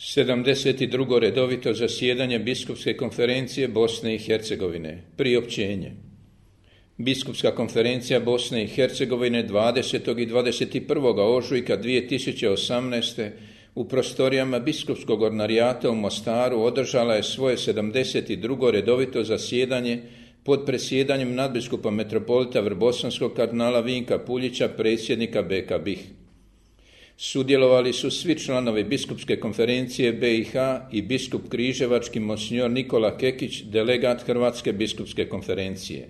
72. redovito zasjedanje Biskupske konferencije Bosne i Hercegovine. Priopćenje. Biskupska konferencija Bosne i Hercegovine 20. i 21. ožujka 2018. u prostorijama Biskupskog ordinarijata u Mostaru održala je svoje 72. redovito zasjedanje pod predsjedanjem nadbiskupa metropolita Vrbosanskog kardinala Vinka Puljića, predsjednika BK BiH. Sudjelovali su svi članovi Biskupske konferencije BiH i biskup križevački monsignor Nikola Kekić, delegat Hrvatske biskupske konferencije.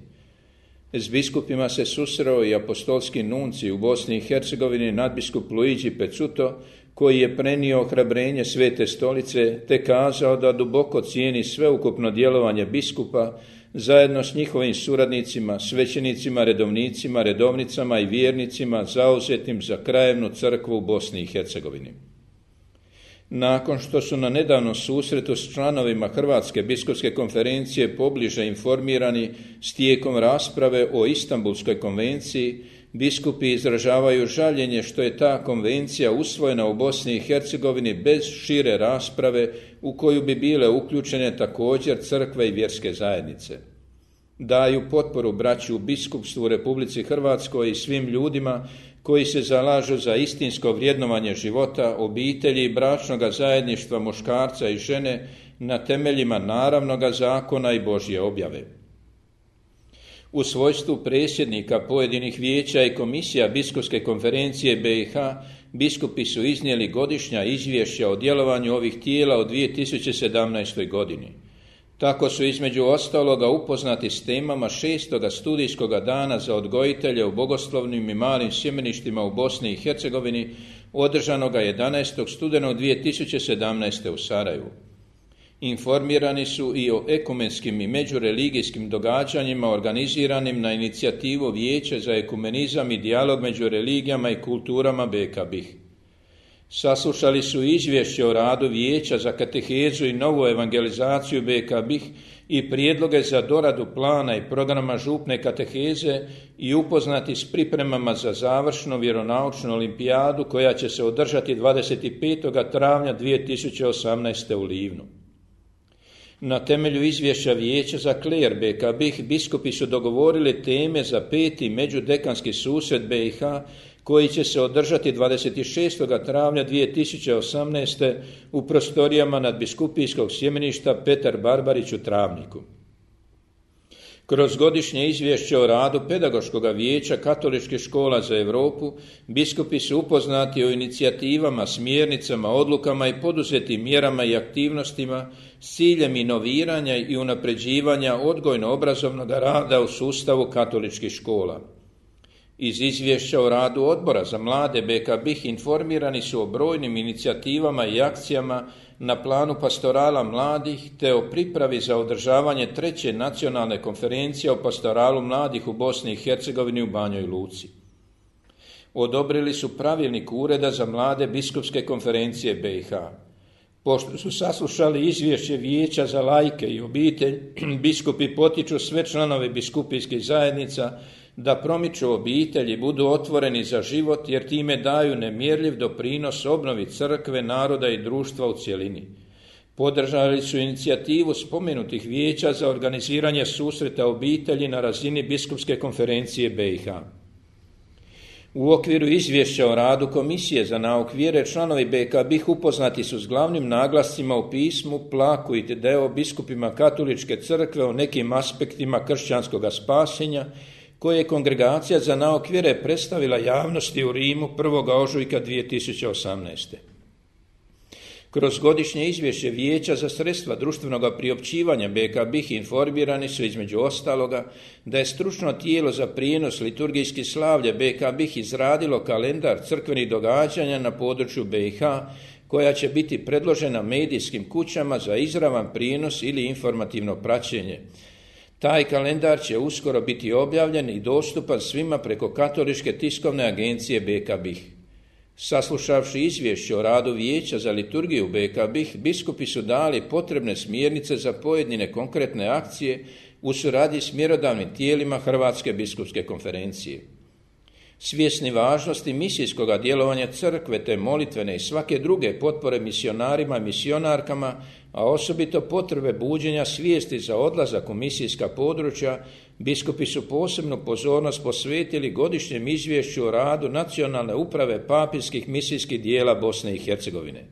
S biskupima se susreo i apostolski nuncij u Bosni i Hercegovini nadbiskup Luigi Pezzuto, koji je prenio ohrabrenje Svete stolice te kazao da duboko cijeni sveukupno djelovanje biskupa zajedno s njihovim suradnicima, svećenicima, redovnicima, redovnicama i vjernicima zauzetim za krajevnu crkvu u Bosni i Hercegovini. Nakon što su na nedavnom susretu s članovima Hrvatske biskupske konferencije pobliže informirani s tijekom rasprave o Istanbulskoj konvenciji, biskupi izražavaju žaljenje što je ta konvencija usvojena u Bosni i Hercegovini bez šire rasprave u koju bi bile uključene također crkve i vjerske zajednice. Daju potporu braći u biskupstvu u Republici Hrvatskoj i svim ljudima koji se zalažu za istinsko vrjednovanje života, obitelji i bračnoga zajedništva muškarca i žene na temeljima naravnoga zakona i Božje objave. U svojstvu predsjednika pojedinih vijeća i komisija Biskupske konferencije BiH, biskupi su iznijeli godišnja izvješća o djelovanju ovih tijela u 2017. godini. Tako su između ostaloga upoznati s temama 6. studijskoga dana za odgojitelje u bogoslovnim i malim sjemeništima u Bosni i Hercegovini, održanoga 11. studenog 2017. u Sarajevu. Informirani su i o ekumenskim i međureligijskim događanjima organiziranim na inicijativu Vijeća za ekumenizam i dijalog među religijama i kulturama BK BiH. Saslušali su izvješće o radu Vijeća za katehezu i novu evangelizaciju BK BiH i prijedloge za doradu plana i programa župne kateheze i upoznati s pripremama za završnu vjeronaučnu olimpijadu koja će se održati 25. travnja 2018. u Livnu. Na temelju izvješća Vijeća za kler BK BiH biskupi su dogovorili teme za 5. međudekanski susret BiH koji će se održati 26. travnja 2018. u prostorijama nadbiskupijskog sjemeništa Petar Barbarić u Travniku. Kroz godišnje izvješće o radu Pedagoškog vijeća katoličkih škola za Europu, biskupi su upoznati o inicijativama, smjernicama, odlukama i poduzetim mjerama i aktivnostima s ciljem inoviranja i unapređivanja odgojno-obrazovnog rada u sustavu katoličkih škola. Iz izvješća o radu Odbora za mlade BK BiH informirani su o brojnim inicijativama i akcijama na planu pastorala mladih te o pripravi za održavanje 3. nacionalne konferencije o pastoralu mladih u Bosni i Hercegovini u Banjoj Luci. Odobrili su pravilnik Ureda za mlade Biskupske konferencije BiH. Pošto su saslušali izvješće Vijeća za laike i obitelj, biskupi potiču sve članove biskupijskih zajednica da promiču obitelji, budu otvoreni za život jer time daju nemjerljiv doprinos obnovi crkve, naroda i društva u cjelini. Podržali su inicijativu spomenutih vijeća za organiziranje susreta obitelji na razini Biskupske konferencije BiH. U okviru izvješća o radu Komisije za nauk vjere članovi BK BiH upoznati su s glavnim naglascima u pismu Plaku i Deo biskupima katoličke crkve o nekim aspektima kršćanskog spasenja koje je Kongregacija za nauk vjere predstavila javnosti u Rimu 1. ožujka 2018. Kroz godišnje izvješće Vijeća za sredstva društvenog priopćivanja BK BiH informirani su između ostaloga da je stručno tijelo za prijenos liturgijskih slavlja BK BiH izradilo kalendar crkvenih događanja na području BiH koja će biti predložena medijskim kućama za izravan prijenos ili informativno praćenje. Taj kalendar će uskoro biti objavljen i dostupan svima preko Katoličke tiskovne agencije BK BiH. Saslušavši izvješće o radu Vijeća za liturgiju BK BiH, biskupi su dali potrebne smjernice za pojedine konkretne akcije u suradnji s mjerodavnim tijelima Hrvatske biskupske konferencije. Svjesni važnosti misijskoga djelovanja crkve te molitvene i svake druge potpore misionarima i misionarkama, a osobito potrebe buđenja svijesti za odlazak u misijska područja, biskupi su posebnu pozornost posvetili godišnjem izvješću o radu Nacionalne uprave papinskih misijskih dijela Bosne i Hercegovine.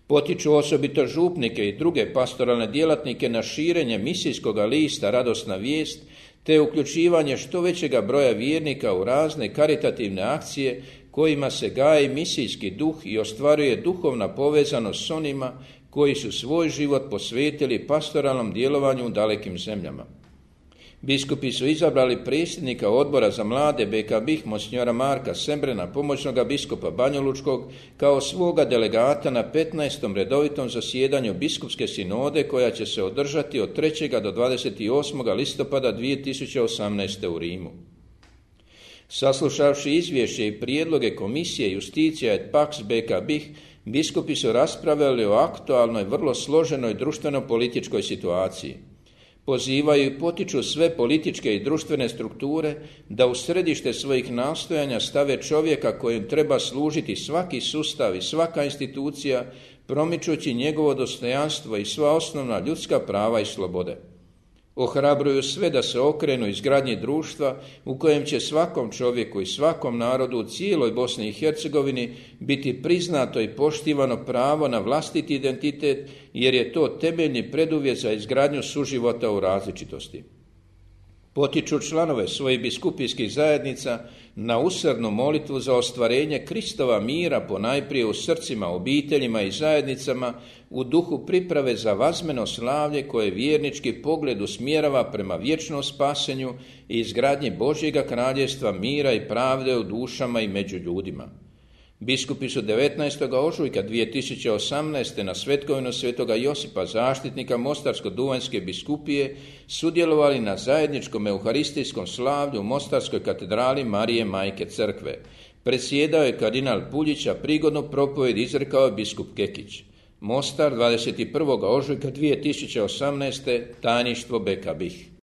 Potiču osobito župnike i druge pastoralne djelatnike na širenje misijskoga lista Radosna vijest, te uključivanje što većega broja vjernika u razne karitativne akcije kojima se gaji misijski duh i ostvaruje duhovna povezanost s onima koji su svoj život posvetili pastoralnom djelovanju u dalekim zemljama. Biskupi su izabrali predsjednika odbora za mlade BK BiH monsignora Marka Sembrena, pomoćnoga biskupa Banjalučkog, kao svoga delegata na 15. redovitom zasjedanju biskupske sinode koja će se održati od 3. do 28. listopada 2018. u Rimu. Saslušavši izvješće i prijedloge komisije Justicija et Pax BK BiH, biskupi su raspravljali o aktualnoj, vrlo složenoj društveno-političkoj situaciji. Pozivaju i potiču sve političke i društvene strukture da u središte svojih nastojanja stave čovjeka kojem treba služiti svaki sustav i svaka institucija, promičući njegovo dostojanstvo i sva osnovna ljudska prava i slobode. Ohrabruju sve da se okrenu izgradnji društva u kojem će svakom čovjeku i svakom narodu u cijeloj Bosni i Hercegovini biti priznato i poštivano pravo na vlastiti identitet, jer je to temeljni preduvjet za izgradnju suživota u različitosti. Potiču članove svojih biskupijskih zajednica na usrdnu molitvu za ostvarenje Kristova mira ponajprije u srcima, obiteljima i zajednicama u duhu priprave za vazmeno slavlje koje vjernički pogled usmjerava prema vječnom spasenju i izgradnji Božjega kraljevstva mira i pravde u dušama i među ljudima. Biskupi su 19. ožujka 2018. na svetkovinu svetoga Josipa, zaštitnika Mostarsko-duvanjske biskupije, sudjelovali na zajedničkom euharistijskom slavlju u Mostarskoj katedrali Marije Majke Crkve. Predsjedao je kardinal Puljić, a prigodnu propovjed izrekao je biskup Kekić. Mostar, 21. ožujka 2018. tajništvo BK BiH.